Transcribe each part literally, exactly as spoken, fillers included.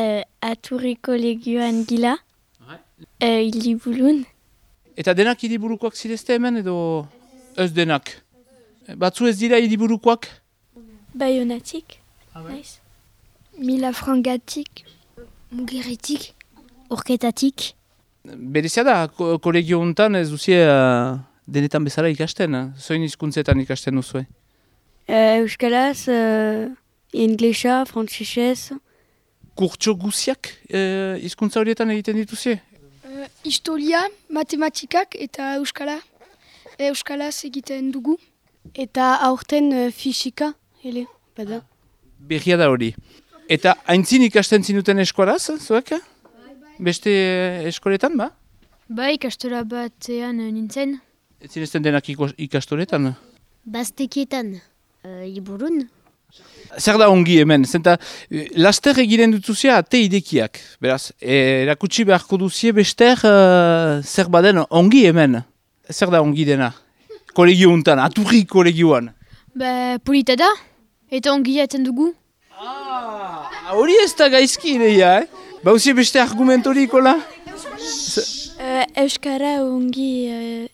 Uh, Aturriko legioan gila, uh, Iliburun. Eta denak hiriburukoak zirezte hemen edo ez denak? Batzu ez dira hiriburukoak? Baionatik, naiz. Milafrangatik, Mugeritik, Urketatik. Berezia da, ko kolegio honetan ez duzie uh, denetan bezala ikasten, eh? Zoin hizkuntzetan ikasten duzue? Uh, Euskalaz, uh, inglesa, frantsesez. Kurtso guziak uh, hizkuntza horietan egiten dituzie? Uh, historia, matematikak eta euskala. Euskalaz egiten dugu. Eta aurten uh, fisika, hele, bada. Berria da hori. Eta haintzin ikasten zinuten eskolaz, zuek? Beste eskoletan, ba? Ba, ikastola batean nintzen. Ez zinezten denak ikastoletan? Baztekietan, uh, Iliburun. Zer da ongi hemen? Zenta, laster egiten dutuzia ate idekiak. Beraz, erakutsi beharko duzie bester uh, zer baden ongi hemen. Zer da ongi dena? Kolegio untan, Aturri kolegioan. Ba, polita da, eta ongi jaten dugu. Ah, hori ez da gaizki ideia, eh? Ba, usie beste argumentorik, hola? Uh, Euskara ongi uh,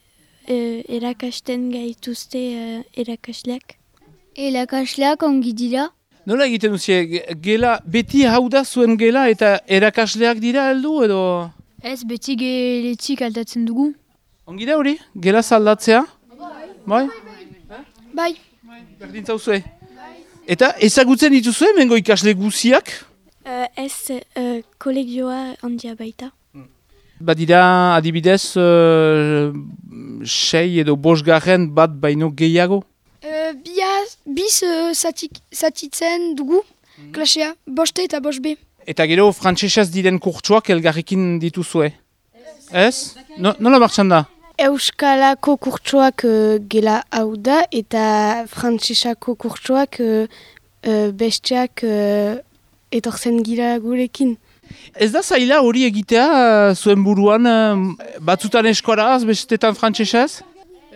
uh, erakasten gaituzte uh, erakasleak. Erakasleak ongi dira. Nola egiten duzie, gela, beti hau da zuen gela eta erakasleak dira heldu edo? Ez beti geletik aldatzen dugu. Ongi da hori, gela zaldatzea? Bai? Bai. Berdin zauzue? Eta ezagutzen dituzue mengo ikasle guziak? Uh, ez uh, kolegioa handia baita. Badira adibidez uh, sei edo bosgarren bat baino gehiago? Uh, biaz, biz uh, zatik, zatitzen dugu, klasea, boste eta bost be. Eta gero frantsesez diren kurtsuak elgarrekin dituzue? Ez? No, nola martxan da? Euskalako kurtsoak uh, gela hau da eta frantsesako kurtsoak uh, uh, besteak uh, etortzen gira gurekin. Ez da zaila hori egitea uh, zuen buruan uh, batzutan eskoraz, bestetan frantsesez?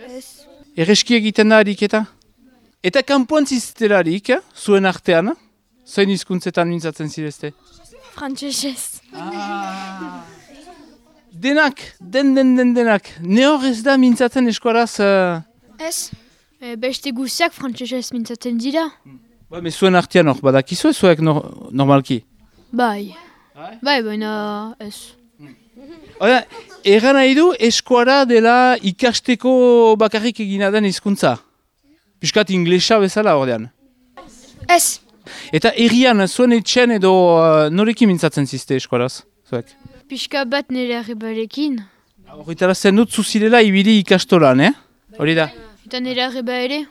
Ez. Erreski egiten da ariketa? Eta kanpoan ziztelarik, eh? Zuen artean, zoin hizkuntzetan mintzatzen zirezte? Frantsesez. Ah. Denak, den den den denak. Ne hor ez da mintzatzen eskoraz? Uh... Ez. E, beste guziak frantsesez mintzatzen dira. Ba, me zuen artean hor, badakizue zuek no, normalki? Bai. Bai, baina ez. Oda, erran nahi du eskuara dela ikasteko bakarrik egina den hizkuntza. Piskat inglesa bezala ordean. Ez. Eta errian, zuen etxen edo uh, norekin mintzatzen zizte eskuaraz, zuek? Pixka bat nire arrebalekin. Horretara zen dut zuzirela ibili ikastolan, eh? Hori da. Eta nire arreba ere,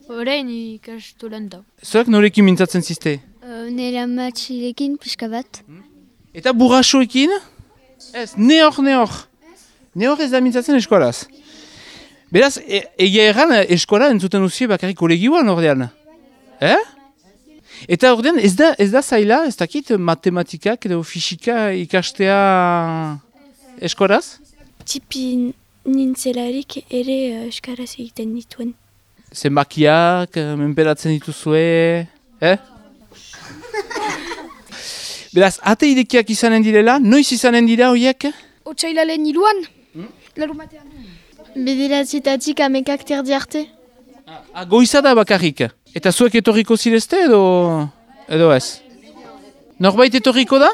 horrein ikastolan da. Zuek norekin mintzatzen zizte? Uh, nire amatxilekin pixka bat. Eta burrasoekin? Ez, ne hor, ne hor. Ne hor ez da mintzatzen eskolaz. Beraz, e egia erran eskola entzuten uzie bakarrik kolegioan ordean. Eh? Eta ordean ez da, ez da zaila, ez dakit matematikak edo fisika ikastea eskolaz? Tipi nintzelarik ere uh, euskaraz egiten dituen. Zenbakiak, menperatzen dituzue, eh? Beraz, ate idekiak izanen direla, noiz izanen dira horiek? Otsailaren hiruan, hmm? Larumatean. Bederatzitatik amekak terdi arte. Ah, goiza da bakarrik. Eta zuek etorriko zirezte edo, edo ez? Norbait etorriko da?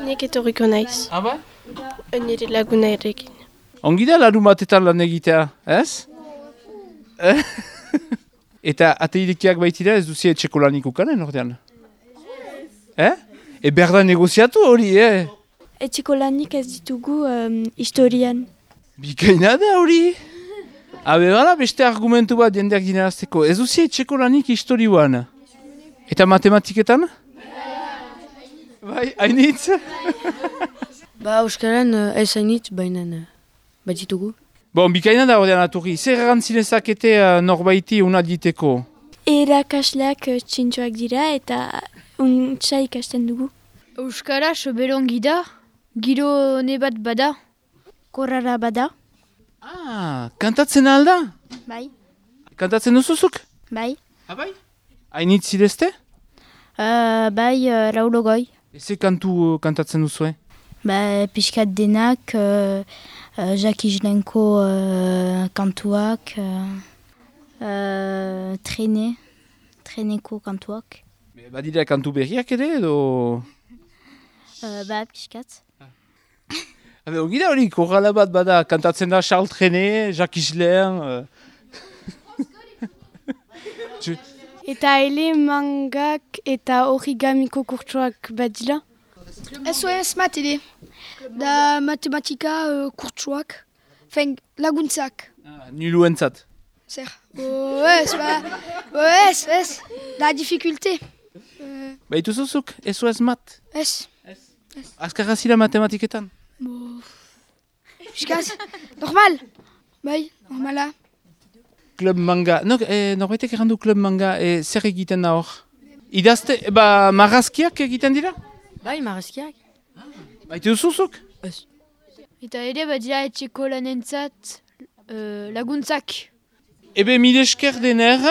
Nek etorriko naiz. Ah, bai? Nire laguna errekin. Ongi da larun batetan lan egitea, ez? Eta ate idekiak baitira ez duzie etxeko lanik ukanen ordean? Eh? E behar da negoziatu hori, eh? Etxeko lanik ez ditugu um, historian. Bikaina da hori? Habe bala beste argumentu bat jendeak dinarazteko. Ez duzie etxeko lanik historioan? Eta matematiketan? Bai, hainitz? Ba, euskaran ez hainitz, baina bat ditugu. Bon, bikaina da ordean Aturri. Zer erantzinezakete uh, norbaiti una diteko? Erakasleak uh, txintxoak dira eta untsa ikasten dugu. Euskara soberongi da, giro ne bat bada. Korrara bada. Ah, kantatzen alda? Bai. Kantatzen duzuzuk? Bai. Ah, bai? Hainitz zidezte? Uh, bai, uh, raulo goi. Eze kantu uh, kantatzen duzue? Ba, pixkat denak, uh, uh, Jacques Islenko uh, kantuak, uh, uh, trene, treneko kantuak. Be, badira kantu berriak ere edo... Uh, ba, pixkat. Habe, ongi da hori, korrala bat bada kantatzen da Charles Trenet, Jacques Islen... Uh... Eta ele mangak eta origamiko kurtsuak badila? S O S mat ere. Da matematika uh, kurtsuak. Fen, laguntzak. Ah, nuluentzat. Zer. O ez, ba. O ez, ez. Da difficulté. Uh, Ba, ituzuzuk, S O S mat. ez. Azkarra zira matematiketan? Bo... Piskaz. Normal. Bai, normala. Club manga. No, eh, norbaitek errandu Club manga, eh, zer egiten da hor? Idazte, ba, marrazkiak egiten dira? Bai, marrazkiak. Baite duzuzuk? Ez. Eta ere badira etxeko lanentzat uh, laguntzak. Ebe mil esker dener,